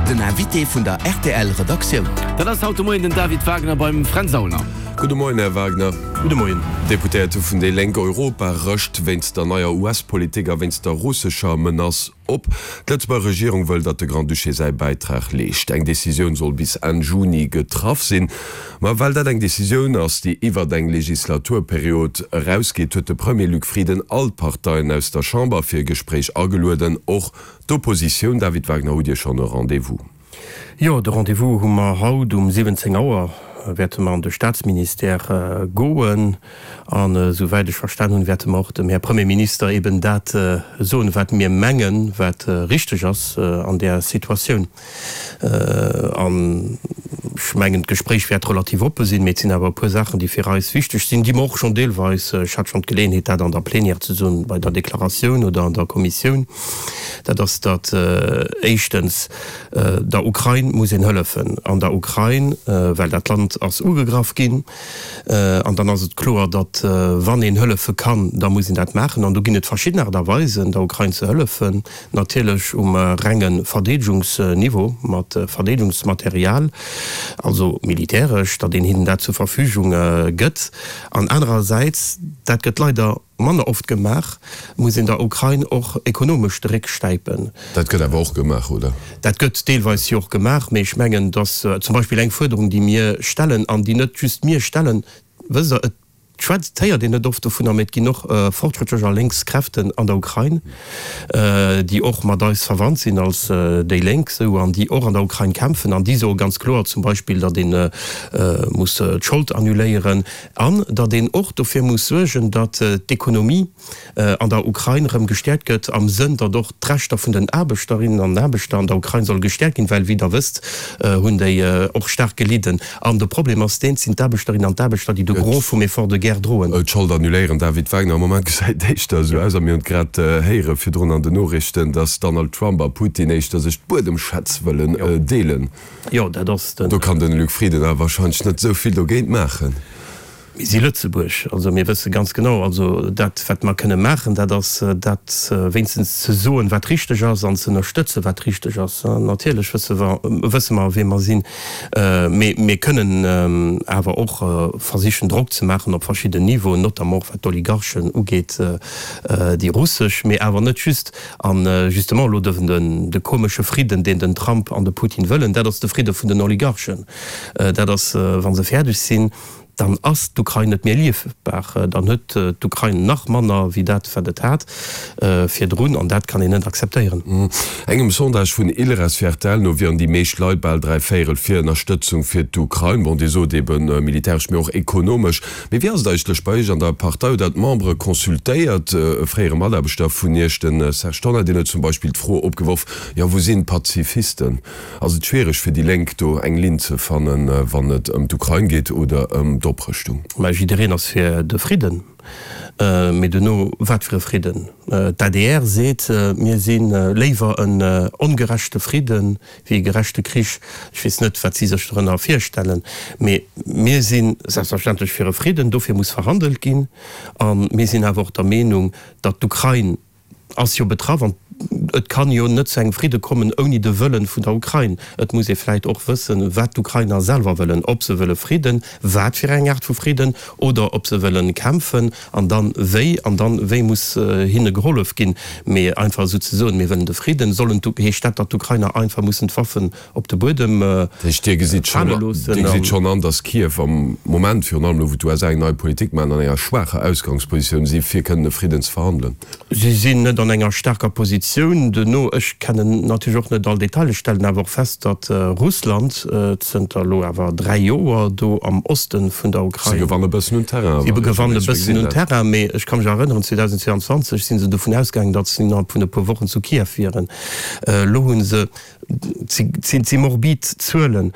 Den Invité vun der rtl Redaktioun. Dat ass haut de Moien den David Wagner beim Fränz Aulner. Gudde Moien, Här Wagner. Gudde Moien. D'Deputéierte vun déi Lénk Europa rëscht wéinst der neier US-Politik a wéinst der russescher Menace op. D'Lëtzebuerger Regierung wëll, datt de Grand-Duché säi Bäitrag leescht. Eng Decisioun soll bis Enn Juni getraff sinn. Ma well dat eng Decisioun ass, déi iwwert eng Legislaturperiod erausgeet, huet de Premier Luc Frieden all d'Parteien aus der Chamber fir e Gespréich agelueden, och d'Oppositioun. David Wagner, hutt Dir schonn e Rendez-vous? Jo, de Rendez-vous hu mer haut um 17 Auer, wäerte mer an de Staatsministère goen. An esou wäit ech verstan hunn, wäerte mer och dem Här Premierminister eben dat soen, wat mir mengen, wat richteg ass an där Situatioun. An ech mengen, d'Gespréich wäert relativ oppe sinn, mee et sinn awer e puer Saachen, déi fir eis wichteg sinn, déi mer och schonn deelweis, ech hat schonn d'Geleeënheet, dat an der Plénière ze soen, bei der Deklaratioun oder an der Kommissioun, dat ass, datt éischtens der Ukrain muss een hëllefen. An der Ukrain, well dat Land ass ugegraff ginn. An dann ass et kloer, datt wann een hëllefe kann, da muss een dat maachen. An do ginn et verschidden Aart a Weisen, der Ukrain ze hëllefen. Natierlech um renge Verdeedegungsniveau mat Verdeedegungsmaterial, also militäresch, datt een hinnen dat zur Verfügung gëtt. An anerersäits, dat gëtt leider manner oft gemaach, muss een der Ukrain och ekonomesch de Réck stäipen. Dat gëtt awer och gemaach, oder? Dat gëtt deelweis jo och gemaach, mee ech mengen, datt zum Beispill eng Fuerderung, déi mir stellen an déi net just mir stellen, wësst Der, et schwätzt, héiert een net oft dovunner, mee et ginn och fortschrëttlech a lénks Kräften an der Ukrain, déi och mat eis verwannt sinn als déi Lénk, esou, an déi och an der Ukrain kämpfen an déi soe ganz kloer zum Beispill, datt ee muss d'Schold annuléieren an datt een och dofir muss suergen, datt d'Ekonomie an der Ukrain erëm gestäerkt gëtt, am Sënn, datt och d'Rechter vun den Aarbechterinnen an Aarbechter an der Ukrain solle gestäerkt ginn, well, wéi Der wësst, hunn déi och staark gelidden. An de Problem ass deen, et sinn d'Aarbechterinnen an d'Aarbechter, déi de Gros vum Effort de guerre droen. D'Schold annuléieren, David Wagner, am Moment gesäit et éischter esou aus, a mir hunn et grad héiere virdrun an den Noriichten, datt Donald Trump a Putin éischter sech d'Buedemschätz wëllen deelen. Jo, dat ass den. Do kann den Luc Frieden awer wahrscheinlech net esou vill dogéint maachen. Mir si Lëtzebuerg, also mir wësse ganz genau, also dat wat mer kënne maachen, dat ass dat wéinstens ze soen, wat richteg ass an ze ënnerstëtzen, wat richteg ass. Natierlech wësse mer, wësse mer wee mer sinn, mee mir kënnen awer och versichen Drock ze maachen op verschidden Niveauen, notamment och wat d'Oligarchen ugeet, déi russesch, mee awer net just. An justement elo den de komesche Fridden, deen den Trump an de Putin wëllen, dat ass de Fridde vun den Oligarchen. Dat ass, wa se fäerdeg sinn, dann ass d'Ukrain net méi erliefbar. Dann huet d'Ukrain nach manner wéi dat, wat et hat virdrun. An dat kann een net akzeptéieren. Engem Sondage vun Ilres fir rtl no wieren déi meescht Leit, bal 3 Véierel, fir Ënnerstëtzung fir d'Ukrain. Bon, Dir sot eben militäresch, mee och ekonomesch. Mee wéi ass et eigentlech bei Iech an der Partei? Hutt Der d'Membere consultéiert? E fréiere Mataarbechter vun Iech, de Serge Tonnar, deen huet zum Beispill d'Fro opgeworf, Jo, wou sinn d'Pazifisten? Ass et schwiereg fir déi Lénk do eng Linn ze fannen, wann et ëm d'Ukrain geet oder ëm d'Oprëschtung? Mä jiddereen ass fir de Fridden. Mee duerno, wat fir e Fridden? D'adr seet, mir si léiwer en ongerechte Fridden wéi e gerechte Krich. Ech weess net, wat si sech dorënner virstellen, mee mir si selbstverständlech fir e Fridden. Dofir muss verhandelt ginn. A mir sinn awer och der Meenung, datt d'Ukrain ass jo betraff an et kann jo net zu engem Fridde kommen ouni de Wëllen vun der Ukrain. Et muss ee vläit och wëssen, wat d'Ukrainer selwer wëllen, ob se wëlle Fridden, wat fir eng Aart vu Fridden, oder ob se wëllen kämpfen an dann wéi, an dann wéi muss hinne gehollef ginn. Mee einfach esou ze soen, mir wëllen de Fridden, sollen d'U heescht dat, datt d'Ukrainer einfach mussen d'Waffen op de Buedem Dat heescht, Dir gesitt schonn, fale loossen? Dir gesitt schonn an, datt Kiew am Moment, virun allem elo wou d'USA eng nei Politik maachen, an enger schwaacher Ausgangspositioun si fir kënnen e Fridden ze verhandelen? Si sinn net an enger staarker Positioun. Duerno, ech kennen natierlech och net all Detailer, ech stellen awer och fest, datt Russland zënter elo awer 3 Joer do am Oste vun der Ukrain. Si gewanne bëssen un Terrain. Si gewannen e bëssen un Terrain, mee ech ka mech erënneren, 2022 si se dovun ausgaangen, datt se innerhalb vun e puer Wochen zu Kiew wieren. Elo hu se, et si morbid Zuelen,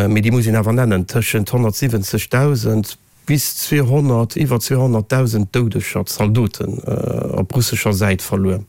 mee déi muss een awer nennen, tëschent 170.000, Bis 200, iwwer 200.000 Doudeger, Zaldoten op russescher Säit verluer.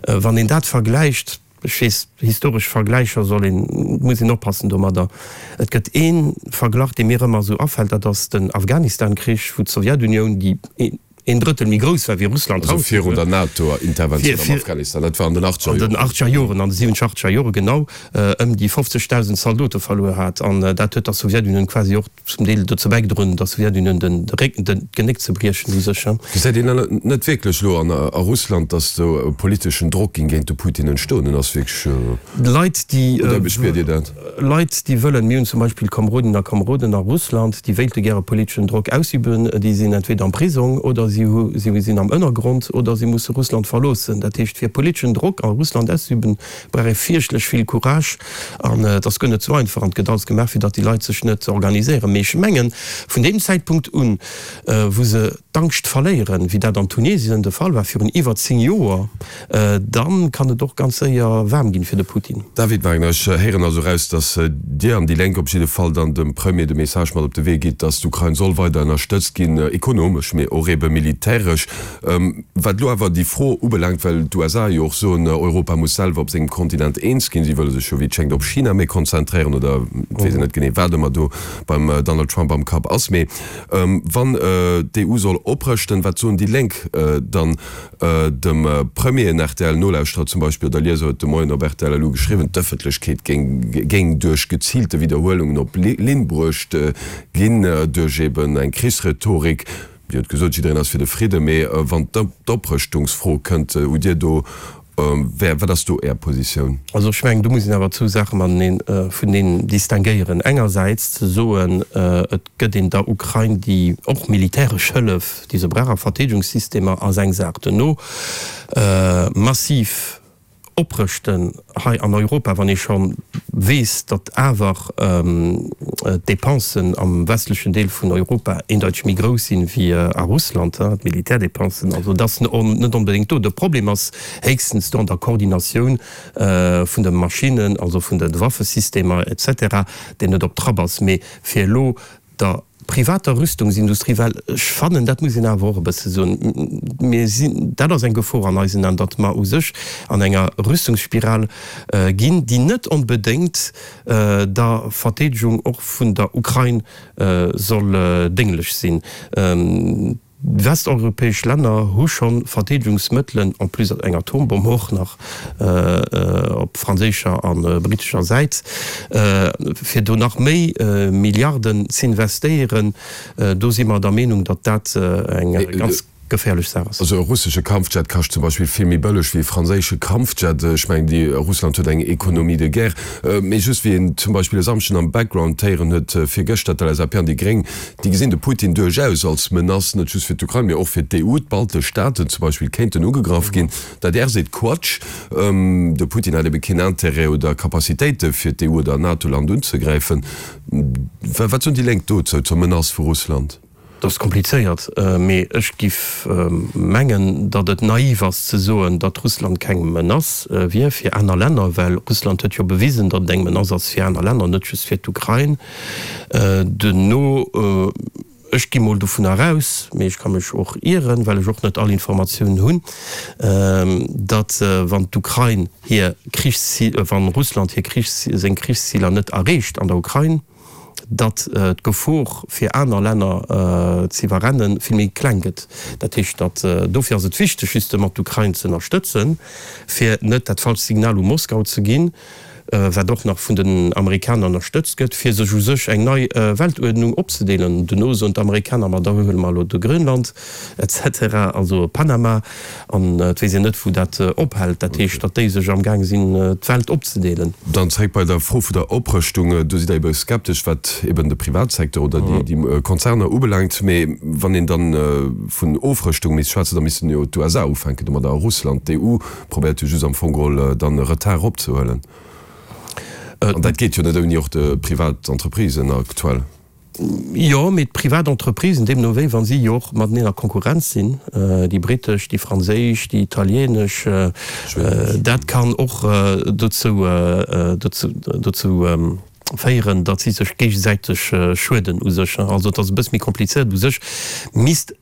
Wann een dat vergläicht, ech weess, historesch Vergläicher soll een, muss een oppassen domadder. Et gëtt ee Verglach, dee mir ëmmer esou afält, dat ass den Afghanistan-Krich, wou d'Sowjetunioun, déi. een Drëttel méi grouss war wéi Russland haut. Also virun der NATO-Interventioun am Afghanistan, dat war an den achtzeger Joren. An den achtzeger Joren, an de siwwenzeger, achtzeger Jore genau, ëm déi 50.000 Zaldote verluer hat. An dat huet der Sowjetunioun quasi och zum Deel dozou bäigedroen, der Sowjetunioun den Réck, den, d'Genéck ze briechen u sech. Gesäit een net wierklech elo an a Russland, datt do e politeschen Drock géing géint de Putin entstoen? Ass wierklech. Leit, déi. Oder wéi spiert Dir dat? Leit, déi wëllen, mir hunn zum Beispill Kamerodinnen a Kameroden a Russland, déi wéilte gäre politeschen Drock ausüben, déi sinn entweder am Prisong oder si hu si sinn am Ënnergrond oder si musse Russland verloossen. Dat heescht, fir politeschen Drock a Russland auszeüben, brauch ee fierchtlech vill Courage an et ass guer net esou einfach an et gëtt alles gemaach, fir datt déi Leit sech net organiséieren. Mee ech mengen, vun deem Zäitpunkt un, wou se d'Angscht verléieren, wéi dat an Tunesien de Fall war virun iwwer 10 Joer, dann kann et och ganz séier waarm ginn fir de Putin. David Wagner, Ech héieren also eraus, datt Dir an déi Lénk op jidde Fall dann dem Premier de Message mat op de Wee gitt, datt d'Ukrain soll weider ënnerstëtzt ginn, ekonomesch, mee och ebe militäresch. Wat elo awer déi Fro ubelaangt, well d'USA jo och soen, Europa muss selwer op sengem Kontinent eens ginn, si wëlle sech jo wéi et schéngt op China méi konzentréieren, oder et weess een net genee wat ëmmer do beim Donald Trump am Kapp ass, mee Wann d'EU soll oprëschten, wat soen déi Lénk dann dem Premier? En RTL-Nolauschterer zum Beispill oder Lieser huet de Moien op rtl LU geschriwwen, d'Ëffentlechkeet géing duerch geziilte Widderhuelungen op Linn bruecht ginn, duerch eben eng Krichsrhetorik. Dir hutt gesot, jiddereen ass fir de Fridden, mee wann d'Oprëschtungsfro kënnt, hutt Dir do Wat ass do Är Positioun? Also ech mengen, do muss een awer zwou Saache mateneen, vuneneen distinguéieren. Engersäits ze soen, et gëtt een der Ukrain déi och militäresch Hëllef, déi se brauch a Verteedegungssystemer, ass eng Saach. Duerno massiv oprëschten hei an Europa, wann ee scho weess, datt awer d'Depensen am westlechen Deel vun Europa eendeiteg méi grouss sinn wéi a Russland, d'Militärdepensen. Also et ass net onbedéngt do. De Problem ass héchstens do an der Koordinatioun vun de Maschinnen, also vun de Waffesystemer et cetera, deen net op Trapp ass. Mee fir elo der privater Rüstungsindustrie, well ech fannen, dat muss een awer och e bësse soen, mir sinn, dat ass eng Gefor an eisen Aen, datt mer u sech an enger Rüstungsspiral ginn, déi net onbedéngt der Verteedegung och vun der Ukrain soll dénglech sinn. Westeuropäesch Länner hu scho Verteedegungsmëttelen, en plus eng Atombomm och nach op franséischer a brittescher Säit, fir do nach méi Milliarden z'investéieren. Do si mer der Meenung, datt dat eng ganz geféierlech Saach ass. Also e russesche Kampfjet kascht zum Beispill vill méi bëlleg wéi e franséische Kampfjet. Ech mengen, déi Russland huet eng Économie de guerre. Mee just wéi een zum Beispill e Samschden am Background héieren huet virgëschter, d'LSAP an déi Gréng, Déi gesinn de Putin duerchaus als Menace, net just fir d'Ukrain, mee och fir d'EU. D'baltesch Staaten zum Beispill kéinten ugegraff ginn. D'adr seet Quatsch, de Putin hätt ebe keen Intérêt oder Capacitéite fir d'EU oder en NATO-Land unzegräifen. Wat soen déi Lénk dozou, zur Menace vu Russland? Dat ass komplizéiert, mee ech giff mengen, datt et naiv ass ze soen, datt Russland keng Menace wier fir aner Länner, well Russland huet jo bewisen, datt et eng Menace ass fir aner Länner, net just fir d'Ukrain. Duerno, ech gi mol dovunner aus, mee ech ka mech och ieren, well ech och net all Informatiounen hunn, datt wann d'Ukrain hir Krichszi-, wann Russland hir Krichs-, seng Krichsziler net erreecht an der Ukrain, datt d'Gefor fir aner Länner z'iwwerrenne vill méi kleng gëtt. Dat heescht, datt, dofir ass et wichteg justement d'Ukrain z'ënnerstëtzen, fir net dat falscht Signal u Moskau ze ginn, wat och nach vun den Amerikaner ënnerstëtzt gëtt, fir sech u sech eng nei Weltuerdnung opzedeelen. Duerno soen d'Amerikaner, ma da huele mer elo de Grönland et cetera, also Panama, an et weess een net, wou dat ophält. Dat heescht, datt déi sech amgaang sinn, d'Welt opzedeelen. Dann zréck bei der Fro vun der Oprëschtung. Do sidd Der ebe skeptesch, wat eben de Privatsecteur oder déi Konzerner ubelaangt. Mee wann een dann vun Ofrëschtung misst schwätzen, da missten jo d'USA ufänken domadder a Russland. D'EU Probéiert jo just am Fong geholl dann e Retard eropzehuelen. An dat geet jo net ouni och de privat Entreprisen aktuell. Jo, mee d'privat Entreprisen, deemno wéi, wa si jo och mateneen a Konkurrenz sinn, déi brittesch, déi franséisch, déi italienesch, dat kann och dozou, dozou féieren, datt si sech géigesäiteg schueden u sech. Also et ass e bësse méi komplizéiert. U sech misst.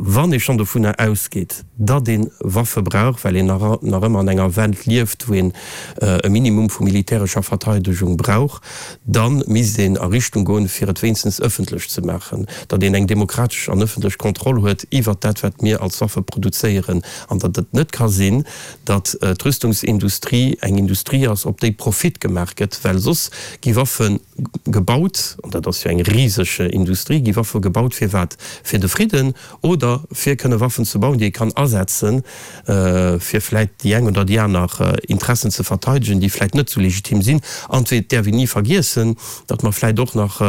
Wann ee schonn dovunner ausgeet, datt ee Waffe brauch, well een nach ëmmer an enger Welt lieft, wou een e Minimum vu militärescher Verteidegung brauch, da misst een a Richtung goen, fir et wéinstens ëffentlech ze maachen, datt een eng demokratesch an ëffentlech Kontroll huet iwwert dat, wat mir als Waffe produzéieren, an datt et net ka sinn, datt d'Rüstungsindustrie eng Industrie ass, op déi Profit gemaach gëtt, well soss gi Waffe gebaut, an dat ass jo eng riseg Industrie, gi Waffe gebaut fir wat? Fir de Fridden oder fir kënne Waffen ze bauen, déi ee kann asetzen, fir vläit déi eng oder déi aner Interessen ze verteidegen, déi vläit net esou legitim sinn. An et däerf een ni vergiessen, datt mer vläit och nach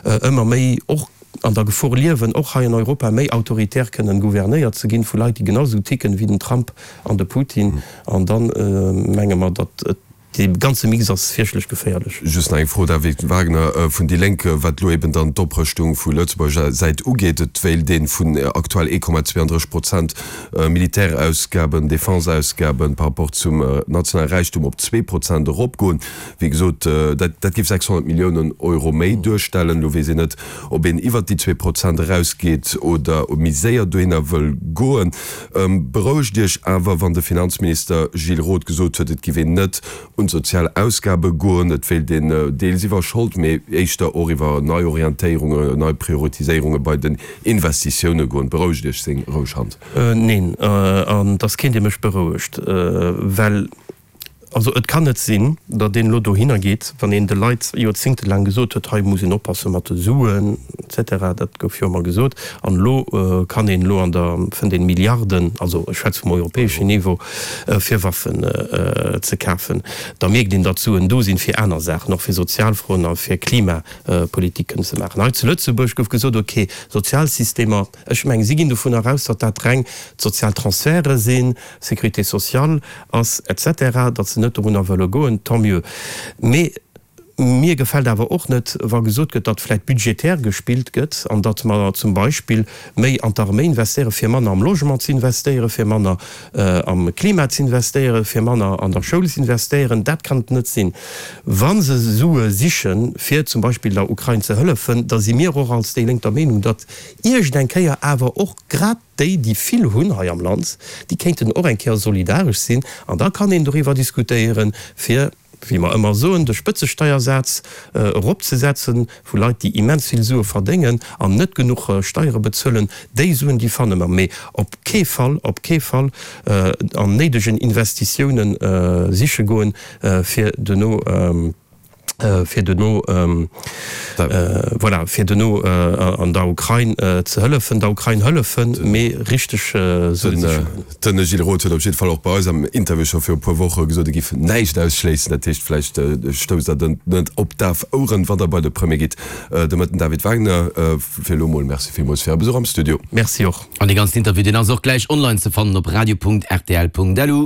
ëmmer méi och an der Gefor liewen, och hei an Europa méi autoritär kënnen gouvernéiert ze ginn vu Leit, déi genau esou ticken wéi den Trump an de Putin. An da menge mer, datt et Dee ganze Mix ass fierchtlech geféierlech. Just nach eng Fro, David Wagner vun déi Lénk, wat elo eben dann d'Oprëschtung vu Lëtzebuerger Säit ugeet. Et wéilt ee vun aktuell 1,32 Prozent Militärausgaben, Defenseausgaben par rapport zum nationale Räichtum op 2 Prozent eropgoen. Wéi gesot, dat dat géif 600 Milliounen Euro méi duerstellen. Elo weess een net, ob een iwwert déi 2 Prozent erausgeet oder méi séier dohinner wëll goen. Berouegt Iech awer, wann de Finanzminister Gilles Roth gesot huet, et giff een net un d'sozial Ausgabe goen, et wéilt een deels iwwer Schold, mee éischter och iwwer Neiorientéierunge, nei Prioritiséierunge bei den Investitioune goen. Berouegt Iech seng roueg Hand. Neen, an et ass keen, dee mech berouegt, well Also et kann net sinn, datt een elo dohinner geet, wann een de Leit joerzéngtelaang gesot huet, hei muss een oppasse mat de Suen et cetera, dat gouf jo ëmmer gesot, an elo kann een elo an der, fënnt een Milliarden, also ech schwätze vum europäeschen Niveau, fir Waffen ze kafen, da mierkt een, datt Suen do sinn fir aner Saachen, och fir Sozialfroen a fir Klimapolitik kënnen ze maachen. Hei zu Lëtzebuerg gouf gesot, okay, Sozialsystemer, ech mengen, si ginn dovunner aus, datt dat reng d'sozial Transferte sinn, Sécurité sociale ass et cetera, datt se net dorunner wëlle goen, tant mieux. Mee mir gefält awer och net, wa gesot gëtt, datt vläicht budgetär gespillt gëtt an datt mer zum Beispill méi an d'Arméi investéieren, fir manner am Logement ze investéieren, fir manner am Klima ze investéieren, fir manner an der Schoul ze investéieren. Dat kann et net sinn. Wa se Sue sichen, fir zum Beispill der Ukrain ze hëllefen, da si mir och als déi Lénk der Meenung, datt iergend eng Kéier awer och grad Déi, déi vill hunn hei am Land, déi kéinten och eng Kéier solidaresch sinn. An da kann een doriwwer diskutéieren, fir, wéi mer ëmmer soen, de Spëtzesteiersaz eropzesetzen vu Leit, déi immens vill Sue verdéngen an net genuch Steiere bezuelen. Déi Suen, déi fanne mer. Mee op kee Fall, op kee Fall an néidegen Investitiounen siche goen, fir duerno, fir duerno, voilà, fir duerno an der Ukrain ze hëllefen, der Ukrain hëllefen, mee richteg Suen siche goen. Den Gilles Roth huet op jidde Fall och bei eis am Interview scho viru puer Woche gesot, e giff näischt ausschléissen. Dat heescht, vläicht stousst Der net op daf Oueren, wann Der bei de Premier gitt. De Mëtten David Wagner, fir elo mol Merci villmools fir Är Besuch am Studio. Merci och. An dee ganzen Interview, deen ass och gläich online ze fannen op radio.rtl.lu.